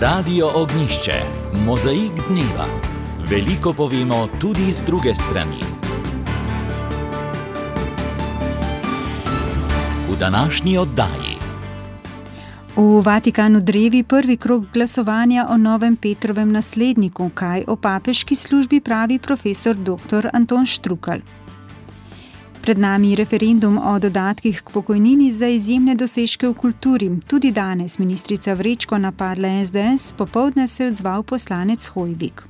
Radio Ognjišče, mozaik dneva. Veliko povemo tudi z druge strani. V današnji oddaji. V Vatikanu drevi prvi krog glasovanja o novem Petrovem nasledniku, kaj o papeški službi pravi profesor dr. Anton Štrukelj. Pred nami referendum o dodatkih k pokojnini za izjemne dosežke v kulturi. Tudi danes ministrica Vrečko napadla SDS, popoldne se je odzval poslanec Hojvik.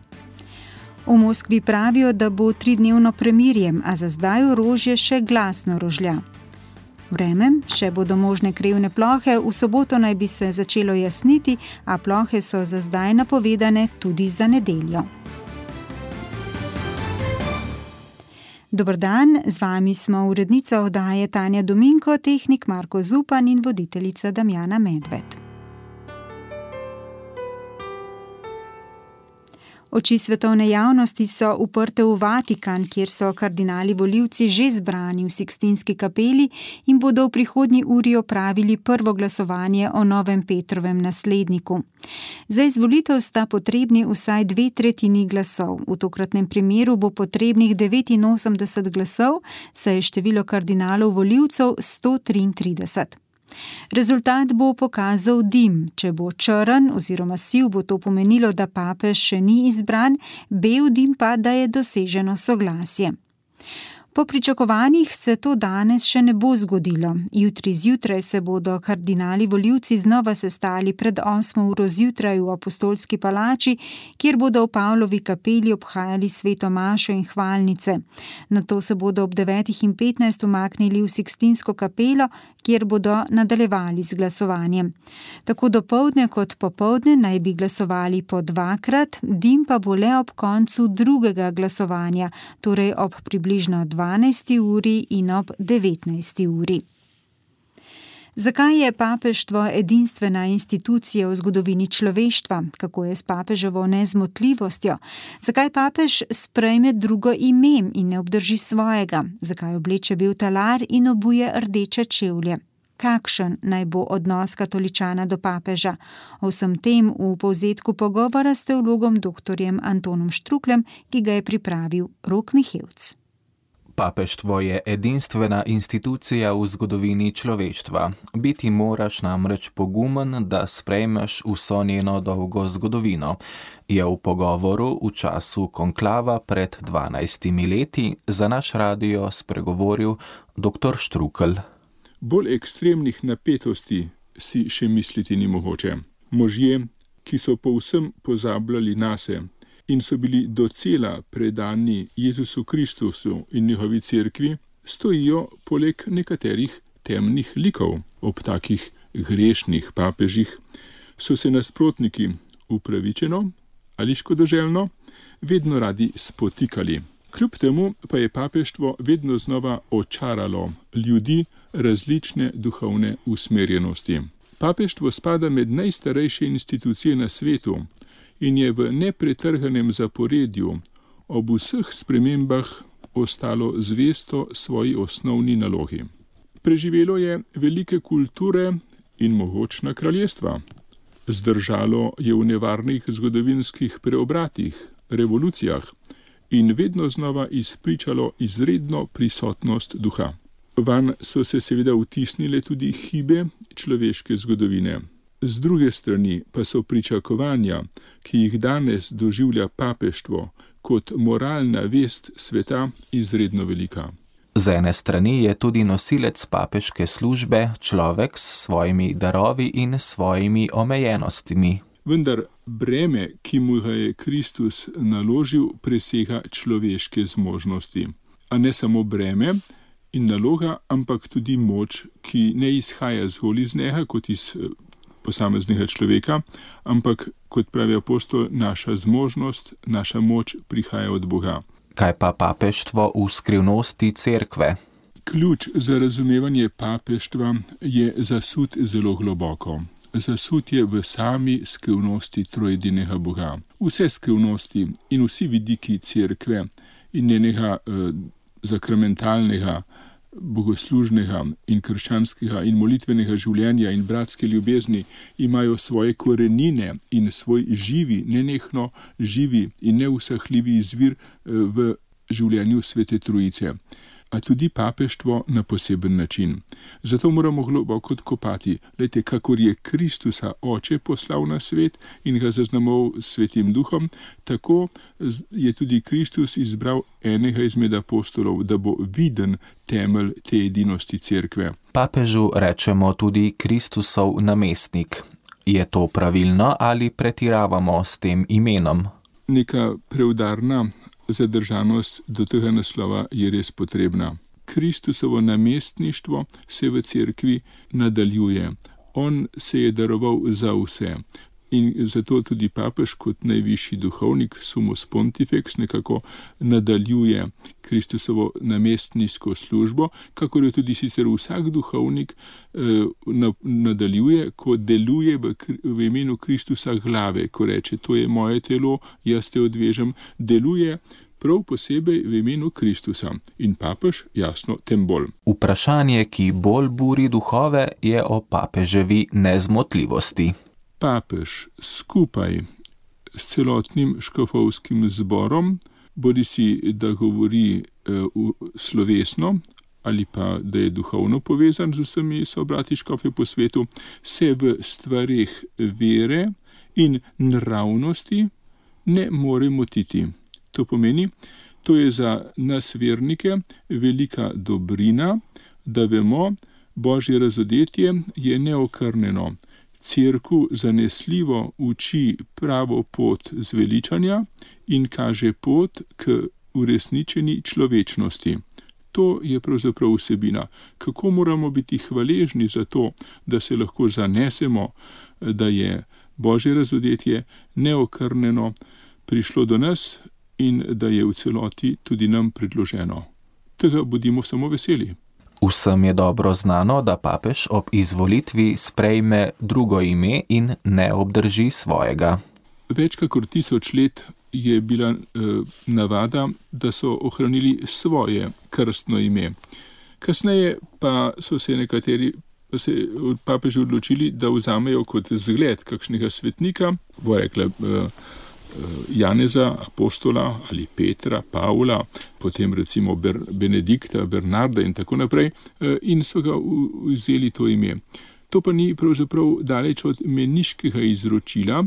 V Moskvi pravijo, da bo 3-dnevno premirje, a za zdaj orožje še glasno rožlja. Vreme, še bodo možne krevne plohe, v soboto naj bi se začelo jasniti, a plohe so za zdaj napovedane tudi za nedeljo. Dober dan, z vami smo urednica oddaje Tanja Dominko, tehnik Marko Zupan in voditeljica Damjana Medved. Oči svetovne javnosti so uprte v Vatikan, kjer so kardinali volivci že zbrani v Sikstinski kapeli in bodo v prihodnji uri opravili prvo glasovanje o novem Petrovem nasledniku. Za izvolitev sta potrebni vsaj 2/3 glasov. V tokratnem primeru bo potrebnih 89 glasov, saj je število kardinalov volivcev 133. Rezultat bo pokazal dim. Če bo črn oziroma siv, bo to pomenilo, da papež še ni izbran, bel dim pa, da je doseženo soglasje. Po pričakovanjih se to danes še ne bo zgodilo. Jutri zjutraj se bodo kardinali volivci znova sestali pred 8 uro zjutraj v Apostolski palači, kjer bodo v Pavlovi kapeli obhajali sveto mašo in hvalnice. Nato se bodo ob 9:15 umaknili v Sikstinsko kapelo, kjer bodo nadaljevali z glasovanjem. Tako dopoldne kot popoldne naj bi glasovali po 2-krat, dim pa bo le ob koncu drugega glasovanja, torej ob približno 12. uri in ob 19. uri. Zakaj je papeštvo edinstvena institucija v zgodovini človeštva? Kako je s papeževo nezmotljivostjo? Zakaj papež sprejme drugo ime in ne obdrži svojega? Zakaj obleče bel talar in obuje rdeče čevlje? Kakšen naj bo odnos katoličana do papeža? O vsem tem v povzetku pogovora s teologom dr. Antonom Štrukljem, ki ga je pripravil Rok Mihevc. Papeštvo je edinstvena institucija v zgodovini človeštva. Biti moraš namreč pogumen, da sprejmeš vso njeno dolgo zgodovino, je v pogovoru v času konklava pred 12 leti za naš radio spregovoril dr. Štrukelj. Bolj ekstremnih napetosti si še misliti ni mogoče. Možje, ki so povsem pozabljali nase in so bili docela predani Jezusu Kristusu in njegovi cerkvi, stojijo poleg nekaterih temnih likov. Ob takih grešnih papežih so se nasprotniki upravičeno ali škodoželjno vedno radi spotikali. Kljub temu pa je papeštvo vedno znova očaralo ljudi različne duhovne usmerjenosti. Papeštvo spada med najstarejše institucije na svetu in je v nepretrganem zaporedju ob vseh spremembah ostalo zvesto svoji osnovni nalogi. Preživelo je velike kulture in mogočna kraljestva. Zdržalo je v nevarnih zgodovinskih preobratih, revolucijah in vedno znova izpričalo izredno prisotnost duha. Van so se seveda vtisnile tudi hibe človeške zgodovine. Z druge strani pa so pričakovanja, ki jih danes doživlja papeštvo kot moralna vest sveta, izredno velika. Z ene strani je tudi nosilec papeške službe človek s svojimi darovi in svojimi omejenostmi. Vendar breme, ki mu ga je Kristus naložil, presega človeške zmožnosti. A ne samo breme in naloga, ampak tudi moč, ki ne izhaja zgolj iz njega kot iz posameznega človeka, ampak, kot pravi apostol, naša zmožnost, naša moč prihaja od Boga. Kaj pa papeštvo v skrivnosti cerkve? Ključ za razumevanje papeštva je zasut zelo globoko. Zasut je v sami skrivnosti trojedinega Boga. Vse skrivnosti in vsi vidiki cerkve in njenega zakramentalnega bogoslužnega in krščanskega in molitvenega življenja in bratske ljubezni imajo svoje korenine in svoj živi, nenehno živi in neusahljivi izvir v življenju Svete Trojice, a tudi papeštvo na poseben način. Zato moramo globoko odkopati, glejte, kakor je Kristusa Oče poslal na svet in ga zaznamoval s Svetim Duhom, tako je tudi Kristus izbral enega izmed apostolov, da bo viden temelj te edinosti cerkve. Papežu rečemo tudi Kristusov namestnik. Je to pravilno ali pretiravamo s tem imenom? Neka preudarna zadržanost do tega naslova je res potrebna. Kristusovo namestništvo se v cerkvi nadaljuje. On se je daroval za vse. In zato tudi papež kot najvišji duhovnik, Summus Pontifex, nekako nadaljuje Kristusovo namestniško službo, kakor jo tudi sicer vsak duhovnik nadaljuje, ko deluje v imenu Kristusa glave, ko reče, to je moje telo, jaz te odvežem, deluje prav posebej v imenu Kristusa. In papež, jasno, tem bolj. Vprašanje, ki bolj buri duhove, je o papeževi nezmotljivosti. Papež skupaj s celotnim škofovskim zborom, bodisi da govori slovesno ali pa da je duhovno povezan z vsemi sobrati škofje po svetu, se v stvareh vere in nravnosti ne more motiti. To pomeni, to je za nas vernike velika dobrina, da vemo, Božje razodetje je neokrnjeno. Cerkev zanesljivo uči pravo pot zveličanja in kaže pot k uresničeni človečnosti. To je pravzaprav vsebina. Kako moramo biti hvaležni za to, da se lahko zanesemo, da je Božje razodetje neokrnjeno prišlo do nas in da je v celoti tudi nam predloženo. Tega bodimo samo veseli. Vsem je dobro znano, da papež ob izvolitvi sprejme drugo ime in ne obdrži svojega. Več kakor 1000 let je bila navada, da so ohranili svoje krstno ime. Kasneje pa so se nekateri papeži odločili, da vzamejo kot zgled kakšnega svetnika, bo rekla Janeza, apostola ali Petra, Pavla, potem recimo Benedikta, Bernarda in tako naprej, in so ga vzeli to ime. To pa ni pravzaprav daleč od meniškega izročila,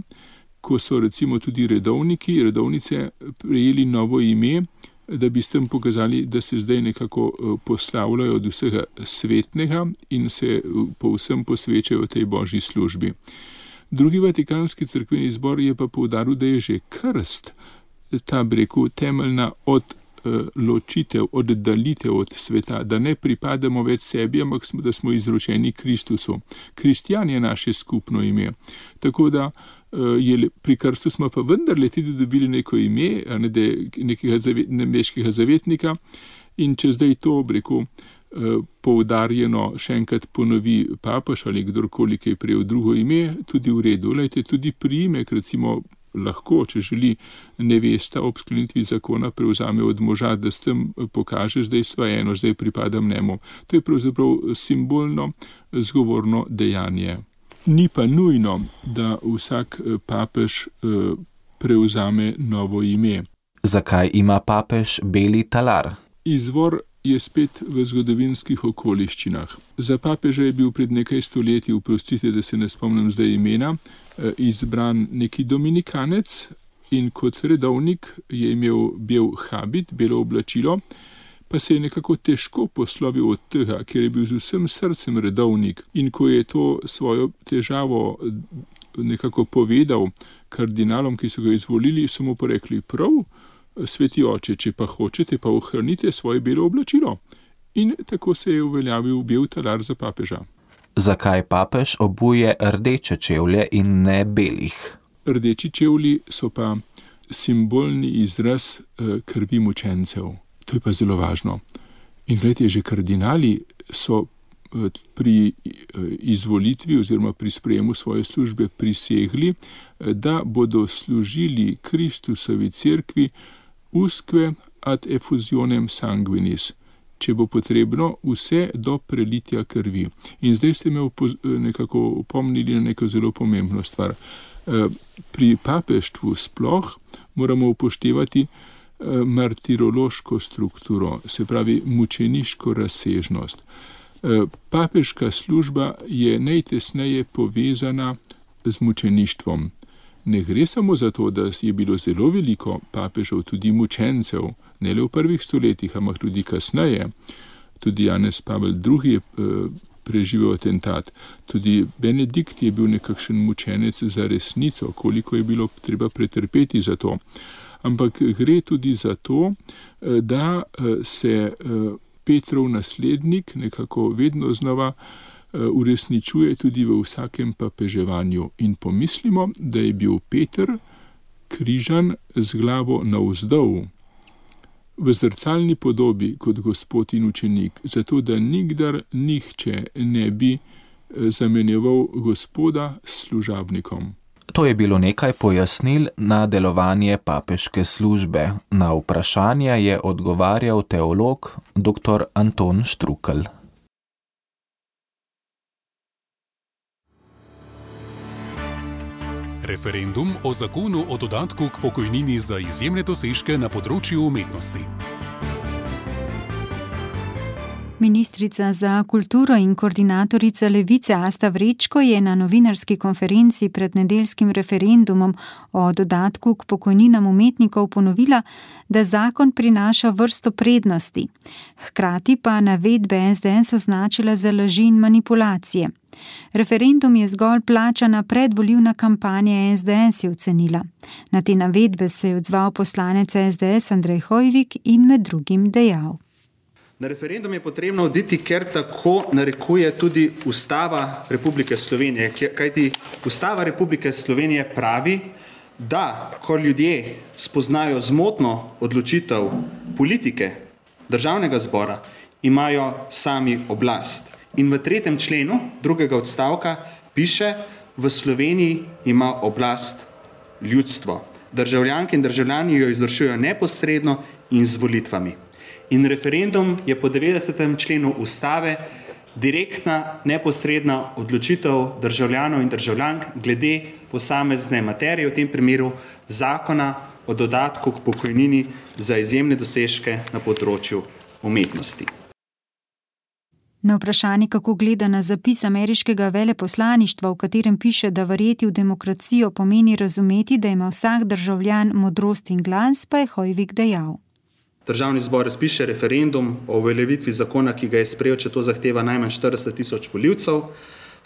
ko so recimo tudi redovnice prejeli novo ime, da bi s tem pokazali, da se zdaj nekako poslavljajo od vsega svetnega in se povsem posvečajo tej Božji službi. Drugi Vatikanski cerkveni zbor je pa poudaril, da je že krst, ta temeljna odločitev, oddalitev od sveta, da ne pripadamo več sebi, ampak da smo izročeni Kristusu. Kristjan je naše skupno ime. Tako da pri krstu smo pa vendarle tudi dobili neko ime, nekega nebeškega zavetnika, in če zdaj to poudarjeno še enkrat ponovi papež ali kdorkoli, ki je prejel drugo ime, tudi v redu. Lejte, tudi priimek, recimo, lahko, če želi nevesta ob sklenitvi zakona prevzame od moža, da s tem pokaže, zdaj sva eno, zdaj pripadam njemu. To je pravzaprav simbolno zgovorno dejanje. Ni pa nujno, da vsak papež prevzame novo ime. Zakaj ima papež beli talar? Izvor je spet v zgodovinskih okoliščinah. Za papeža je bil pred nekaj stoletji, oprostite, da se ne spomnim zdaj imena, izbran neki dominikanec in kot redovnik je imel bel habit, belo oblačilo, pa se je nekako težko poslovil od tega, ker je bil z vsem srcem redovnik, in ko je to svojo težavo nekako povedal kardinalom, ki so ga izvolili, so mu pa rekli, prav, sveti oče, če pa hočete, pa ohranite svoje belo oblačilo. In tako se je uveljavil bel talar za papeža. Zakaj papež obuje rdeče čevlje in ne belih? Rdeči čevlji so pa simbolni izraz krvi mučencev. To je pa zelo važno. In gledajte, že kardinali so pri izvolitvi oziroma pri sprejemu svoje službe prisegli, da bodo služili Kristusovi cerkvi usque ad effusionem sanguinis, če bo potrebno, vse do prelitja krvi. In zdaj ste me nekako opomnili na neko zelo pomembno stvar. Pri papeštvu sploh moramo upoštevati martirološko strukturo, se pravi mučeniško razsežnost. Papeška služba je najtesneje povezana z mučeništvom. Ne gre samo za to, da je bilo zelo veliko papežev, tudi mučencev, ne le v prvih stoletjih, ampak tudi kasneje. Tudi Janez Pavel II. Je preživel atentat. Tudi Benedikt je bil nekakšen mučenec za resnico, koliko je bilo treba pretrpeti za to. Ampak gre tudi za to, da se Petrov naslednik nekako vedno znova uresničuje tudi v vsakem papeževanju. In pomislimo, da je bil Peter križan z glavo navzdol, v zrcalni podobi kot Gospod in učenik, zato da nikdar nihče ne bi zamenjeval Gospoda s služabnikom. To je bilo nekaj pojasnil na delovanje papeške službe. Na vprašanje je odgovarjal teolog dr. Anton Štrukelj. Referendum o zakonu o dodatku k pokojnini za izjemne dosežke na področju umetnosti. Ministrica za kulturo in koordinatorica Levice Asta Vrečko je na novinarski konferenci pred nedeljskim referendumom o dodatku k pokojninam umetnikov ponovila, da zakon prinaša vrsto prednosti. Hkrati pa navedbe SDS označila za laži in manipulacije. Referendum je zgolj plačana predvolilna kampanja SDS, je ocenila. Na te navedbe se je odzval poslanec SDS Andrej Hoivik in med drugim dejal. Na referendum je potrebno oditi, ker tako narekuje tudi Ustava Republike Slovenije, kajti Ustava Republike Slovenije pravi, da ko ljudje spoznajo zmotno odločitev politike Državnega zbora, imajo sami oblast. In v 3. členu drugega odstavka piše, v Sloveniji ima oblast ljudstvo. Državljanke in državljani jo izvršujejo neposredno in z volitvami. In referendum je po 90. členu Ustave direktna, neposredna odločitev državljanov in državljank glede posamezne materije, v tem primeru zakona o dodatku k pokojnini za izjemne dosežke na področju umetnosti. Na vprašanje, kako gleda na zapis ameriškega veleposlaništva, v katerem piše, da verjeti v demokracijo pomeni razumeti, da ima vsak državljan modrost in glas, pa je Hoivik dejal. Državni zbor razpiše referendum o uveljavitvi zakona, ki ga je sprejel, če to zahteva najmanj 40 tisoč volivcev,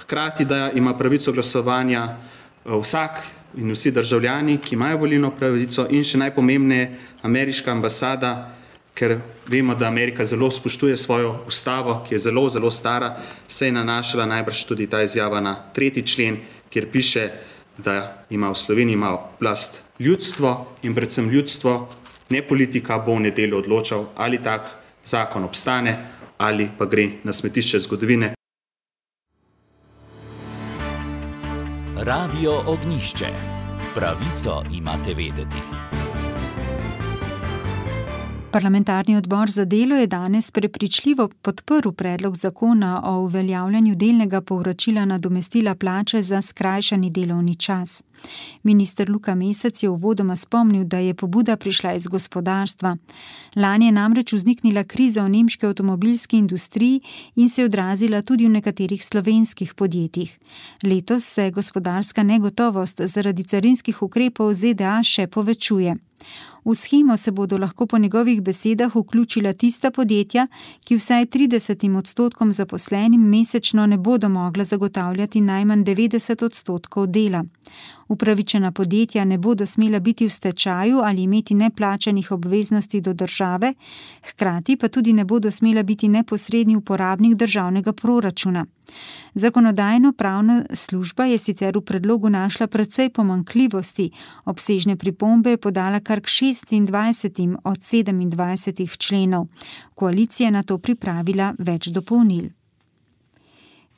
hkrati da ima pravico glasovanja vsak in vsi državljani, ki imajo volilno pravico, in še najpomembneje ameriška ambasada, ker vemo, da Amerika zelo spoštuje svojo ustavo, ki je zelo, zelo stara, se je nanašala najbrž tudi ta izjava na 3. člen, kjer piše, da ima v Sloveniji oblast ljudstvo in predvsem ljudstvo, ne politika bo v nedeljo odločal, ali tak zakon obstane ali pa gre na smetišče zgodovine. Radio Ognjišče. Pravico imate vedeti. Parlamentarni odbor za delo je danes prepričljivo podprl predlog zakona o uveljavljanju delnega povračila nadomestila plače za skrajšani delovni čas. Minister Luka Mesec je uvodoma spomnil, da je pobuda prišla iz gospodarstva. Lani je namreč vzniknila kriza v nemški avtomobilski industriji in se je odrazila tudi v nekaterih slovenskih podjetjih. Letos se gospodarska negotovost zaradi carinskih ukrepov ZDA še povečuje. V shemo se bodo lahko po njegovih besedah vključila tista podjetja, ki vsaj 30% zaposlenim mesečno ne bodo mogla zagotavljati najmanj 90% dela. Upravičena podjetja ne bodo smela biti v stečaju ali imeti neplačanih obveznosti do države, hkrati pa tudi ne bodo smela biti neposredni uporabnik državnega proračuna. Zakonodajno-pravna služba je sicer v predlogu našla precej pomanjkljivosti, obsežne pripombe je podala kar k 26 od 27 členov. Koalicija je na to pripravila več dopolnil.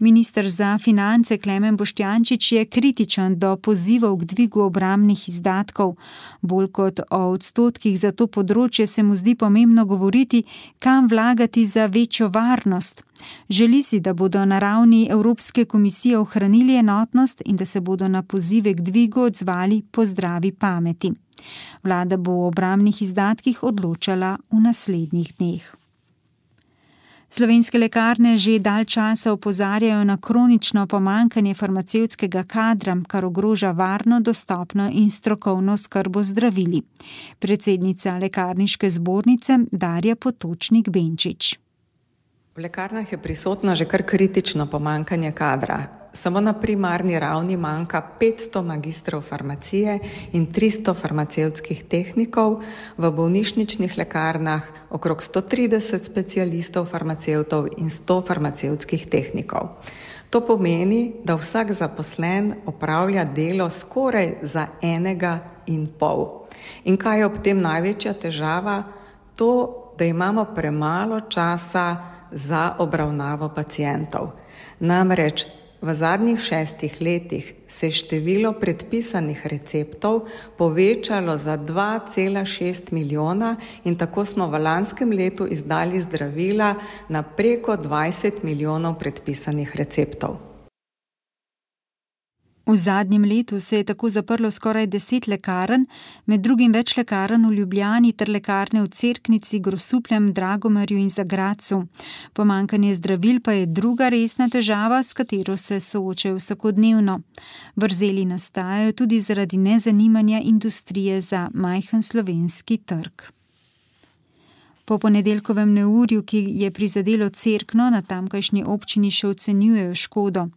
Minister za finance Klemen Boštjančič je kritičen do pozivov k dvigu obrambnih izdatkov. Bolj kot o odstotkih za to področje se mu zdi pomembno govoriti, kam vlagati za večjo varnost. Želi si, da bodo na ravni Evropske komisije ohranili enotnost in da se bodo na pozive k dvigu odzvali po zdravi pameti. Vlada bo o obrambnih izdatkih odločala v naslednjih dneh. Slovenske lekarne že dalj časa opozarjajo na kronično pomanjkanje farmacevtskega kadra, kar ogroža varno, dostopno in strokovno oskrbo zdravili. Predsednica Lekarniške zbornice Darja Potočnik-Benčič. V lekarnah je prisotno že kar kritično pomanjkanje kadra. Samo na primarni ravni manjka 500 magistrov farmacije in 300 farmacevtskih tehnikov, v bolnišničnih lekarnah okrog 130 specialistov farmacevtov in 100 farmacevtskih tehnikov. To pomeni, da vsak zaposlen opravlja delo skoraj za 1,5. In kaj je ob tem največja težava? To, da imamo premalo časa za obravnavo pacientov. Namreč v zadnjih 6 letih se je število predpisanih receptov povečalo za 2,6 milijona in tako smo v lanskem letu izdali zdravila na preko 20 milijonov predpisanih receptov. V zadnjem letu se je tako zaprlo skoraj 10 lekarn, med drugim več lekarn v Ljubljani ter lekarne v Cerknici, Grosupljem, Dragomerju in Zagradcu. Pomanjkanje zdravil pa je druga resna težava, s katero se soočajo vsakodnevno. Vrzeli nastajajo tudi zaradi nezanimanja industrije za majhen slovenski trg. Po ponedeljkovem neurju, ki je prizadelo Cerkno, na tamkajšnji občini še ocenjujejo škodo.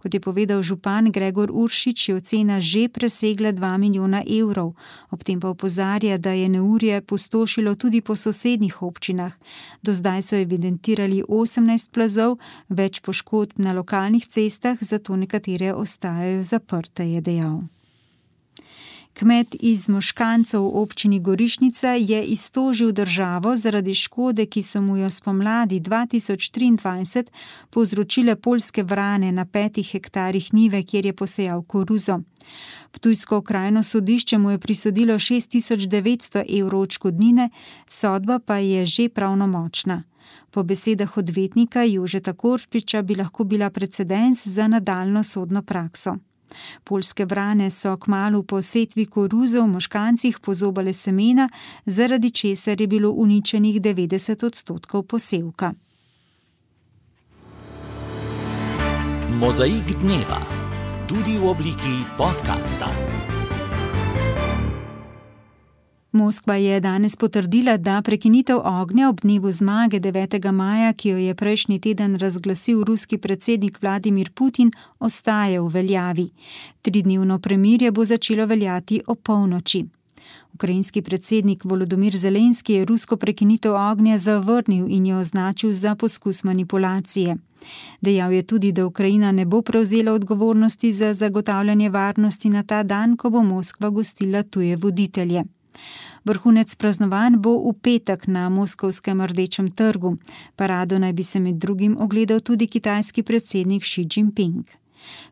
Kot je povedal župan Gregor Uršič, je ocena že presegla 2 milijona evrov. Ob tem pa opozarja, da je neurje pustošilo tudi po sosednjih občinah. Do zdaj so evidentirali 18 plazov, več poškodb na lokalnih cestah, zato nekatere ostajajo zaprte, je dejal. Kmet iz Moškancev v občini Gorišnica je iztožil državo zaradi škode, ki so mu jo spomladi 2023 povzročile poljske vrane na 5 hektarjih njive, kjer je posejal koruzo. Ptujsko okrajno sodišče mu je prisodilo 6.900 evrov odškodnine, sodba pa je že pravnomočna. Po besedah odvetnika Jožeta Korpiča bi lahko bila precedens za nadaljnjo sodno prakso. Poljske vrane so kmalu po setvi koruze v Moškancih pozobale semena, zaradi česar je bilo uničenih 90% posevka. Mozaik dneva, tudi v obliki podcasta. Moskva je danes potrdila, da prekinitev ognja ob dnevu zmage 9. maja, ki jo je prejšnji teden razglasil ruski predsednik Vladimir Putin, ostaje v veljavi. 3-dnevno premirje bo začelo veljati ob polnoči. Ukrajinski predsednik Volodymyr Zelenski je rusko prekinitev ognja zavrnil in jo označil za poskus manipulacije. Dejal je tudi, da Ukrajina ne bo prevzela odgovornosti za zagotavljanje varnosti na ta dan, ko bo Moskva gostila tuje voditelje. Vrhunec praznovanj bo v petek na moskovskem Rdečem trgu. Parado naj bi se med drugim ogledal tudi kitajski predsednik Xi Jinping.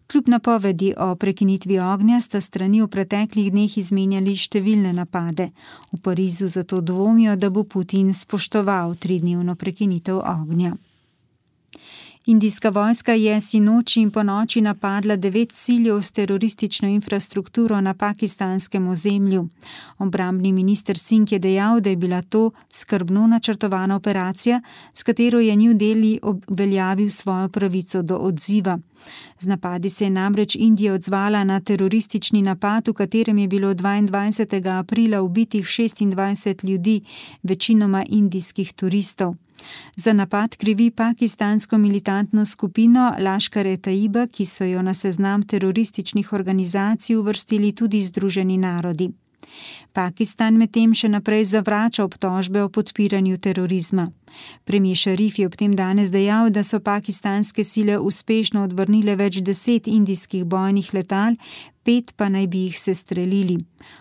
Kljub napovedi o prekinitvi ognja sta strani v preteklih dneh izmenjali številne napade. V Parizu zato dvomijo, da bo Putin spoštoval 3-dnevno prekinitev ognja. Indijska vojska je sinoči in ponoči napadla 9 ciljev s teroristično infrastrukturo na pakistanskem ozemlju. Obrambni minister Singh je dejal, da je bila to skrbno načrtovana operacija, s katero je New Delhi uveljavil svojo pravico do odziva. Z napadi se je namreč Indija odzvala na teroristični napad, v katerem je bilo 22. aprila ubitih 26 ljudi, večinoma indijskih turistov. Za napad krivi pakistansko militantno skupino Laškar-e-Taiba, ki so jo na seznam terorističnih organizacij uvrstili tudi Združeni narodi. Pakistan medtem še naprej zavrača obtožbe o podpiranju terorizma. Premier Šarif je ob tem danes dejal, da so pakistanske sile uspešno odvrnile več 10 indijskih bojnih letal, 5 pa naj bi jih sestrelili.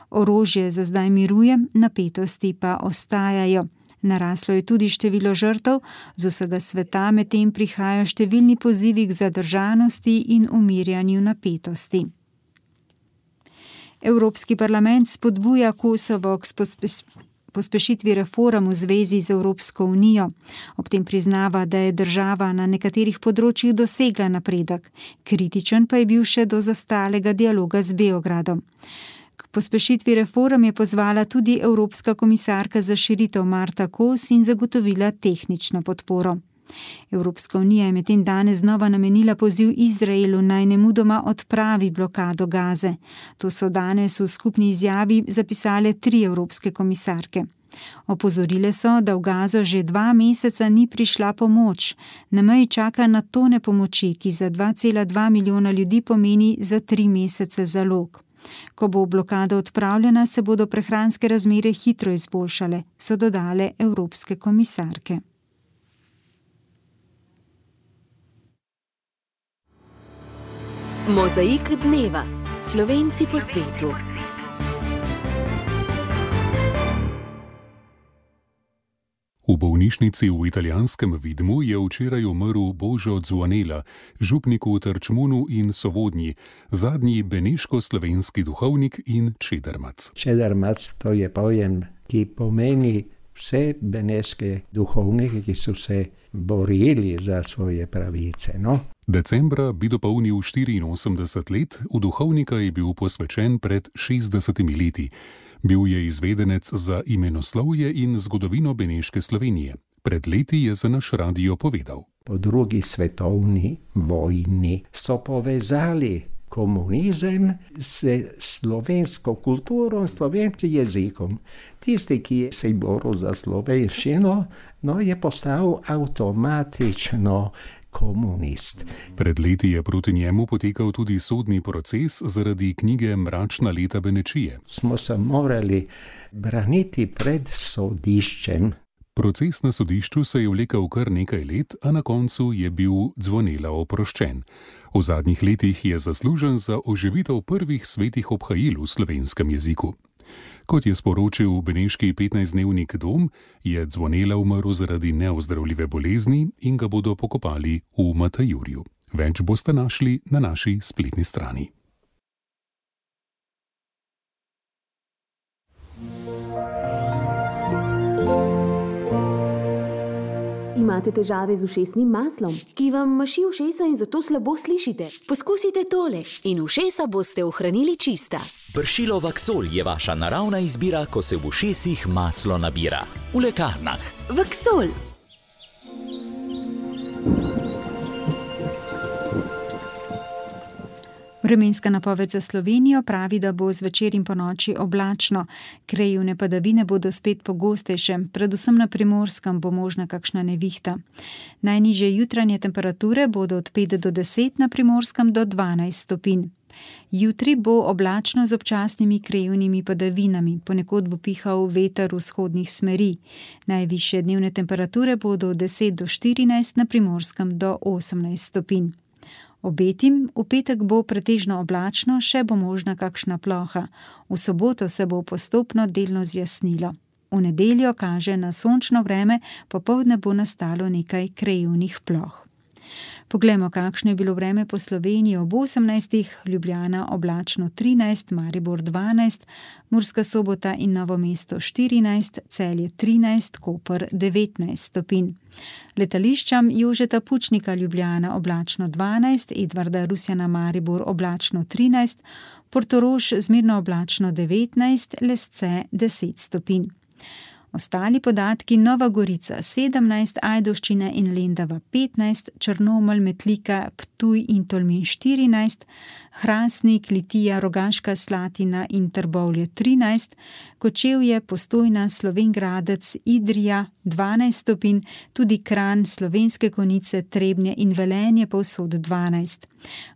Orožje za zdaj miruje, napetosti pa ostajajo. Naraslo je tudi število žrtev, z vsega sveta medtem prihajajo številni pozivi k zadržanosti in umirjanju napetosti. Evropski parlament spodbuja Kosovo k pospešitvi reform v zvezi z Evropsko unijo. Ob tem priznava, da je država na nekaterih področjih dosegla napredek. Kritičen pa je bil še do zastalega dialoga z Beogradom. K pospešitvi reform je pozvala tudi Evropska komisarka za širitev Marta Kos in zagotovila tehnično podporo. Evropska unija je medtem danes znova namenila poziv Izraelu naj nemudoma odpravi blokado Gaze. To so danes v skupni izjavi zapisale 3 evropske komisarke. Opozorile so, da v Gazo že 2 meseca ni prišla pomoč. Na meji čaka na tone pomoči, ki za 2,2 milijona ljudi pomeni za 3 mesece zalog. Ko bo blokada odpravljena, se bodo prehranske razmere hitro izboljšale, so dodale evropske komisarke. Mozaik dneva. Slovenci po svetu. V bolnišnici v italijanskem Vidmu je včeraj umrl Božo Zvonela, župnik v Trčmunu in Sovodnji, zadnji beneško-slovenski duhovnik in čedermac. Čedermac to je pojem, ki pomeni vse beneške duhovnike, ki so se borili za svoje pravice. Decembra bi dopolnil 84 let, v duhovnika je bil posvečen pred 60 leti. Bil je izvedenec za imenoslovje in zgodovino beneške Slovenije. Pred leti je za naš radio povedal. Po 2. svetovni vojni so povezali komunizem s slovensko kulturo, slovenskim jezikom. Tisti, ki se je boril za slovenščino, je postal avtomatično komunist. Pred leti je proti njemu potekal tudi sodni proces zaradi knjige Mračna leta Benečije. Smo se morali braniti pred sodiščem. Proces na sodišču se je vlekel kar nekaj let, a na koncu je bil Zvonela oproščen. V zadnjih letih je zaslužen za oživitev prvih svetih obhajil v slovenskem jeziku. Kot je sporočil beneški 15-dnevnik Dom, je Zvonela umrl zaradi neozdravljive bolezni in ga bodo pokopali v Matajurju. Več boste našli na naši spletni strani. Imate težave z ušesnim maslom, ki vam maši ušesa in zato slabo slišite? Poskusite tole in ušesa boste ohranili čista. Pršilo Vaksol je vaša naravna izbira, ko se v ušesih maslo nabira. V lekarnah. Vaksol. Vremenska napoved za Slovenijo pravi, da bo zvečer in ponoči oblačno. Krajevne padavine bodo spet pogostejše, predvsem na Primorskem bo možna kakšna nevihta. Najnižje jutranje temperature bodo od 5 do 10, na Primorskem do 12 stopinj. Jutri bo oblačno z občasnimi krajevnimi padavinami, ponekod bo pihal veter vzhodnih smeri. Najvišje dnevne temperature bodo od 10 do 14, na Primorskem do 18 stopinj. Obetim, v petek bo pretežno oblačno, še bo možna kakšna ploha. V soboto se bo postopno delno zjasnilo. V nedeljo kaže na sončno vreme, popoldne bo nastalo nekaj krajevnih ploh. Poglejmo, kakšno je bilo vreme po Sloveniji ob 18. Ljubljana oblačno 13, Maribor 12, Murska Sobota in Novo mesto 14, Celje 13, Koper 19 stopinj. Letališčam Jožeta Pučnika Ljubljana oblačno 12, Edvarda Rusjana Maribor oblačno 13, Portorož zmerno oblačno 19, Lesce 10 stopinj. Ostali podatki: Nova Gorica 17, Ajdovščina in Lendava 15, Črnomelj, Metlika, Ptuj in Tolmin 14, Hrastnik, Litija, Rogaška Slatina in Trbovlje 13, Kočevje, Postojna, Slovenj Gradec, Idrija 12 stopinj, tudi Kranj, Slovenske Konjice, Trebnje in Velenje povsod 12.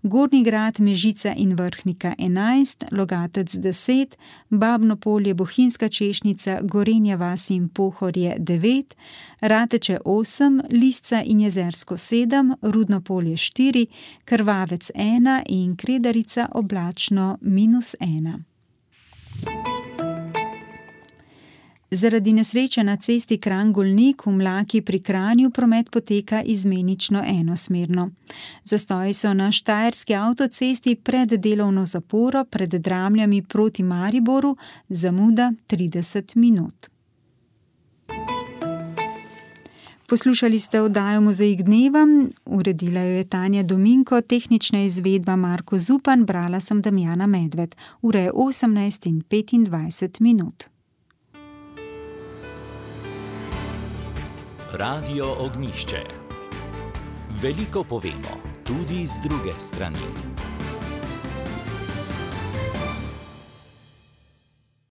Gornji Grad, Mežica in Vrhnika 11, Logatec 10, Babno Polje, Bohinjska Češnica, Gorenja vas in Pohorje 9, Rateče 8, Lisca in Jezersko 7, Rudno Polje 4, Krvavec 1 in Kredarica oblačno -1. Zaradi nesreče na cesti Kranj-Golnik v Mlaki pri Kranju promet poteka izmenično enosmerno. Zastoji so na štajerski avtocesti pred delovno zaporo pred Dramljami proti Mariboru, zamuda 30 minut. Poslušali ste oddajo Mozaik dneva, uredila jo je Tanja Dominko, tehnična izvedba Marko Zupan, brala sem Damjana Medved. Ura je 18:25 minut. Radio Ognjišče. Veliko povemo, tudi z druge strani.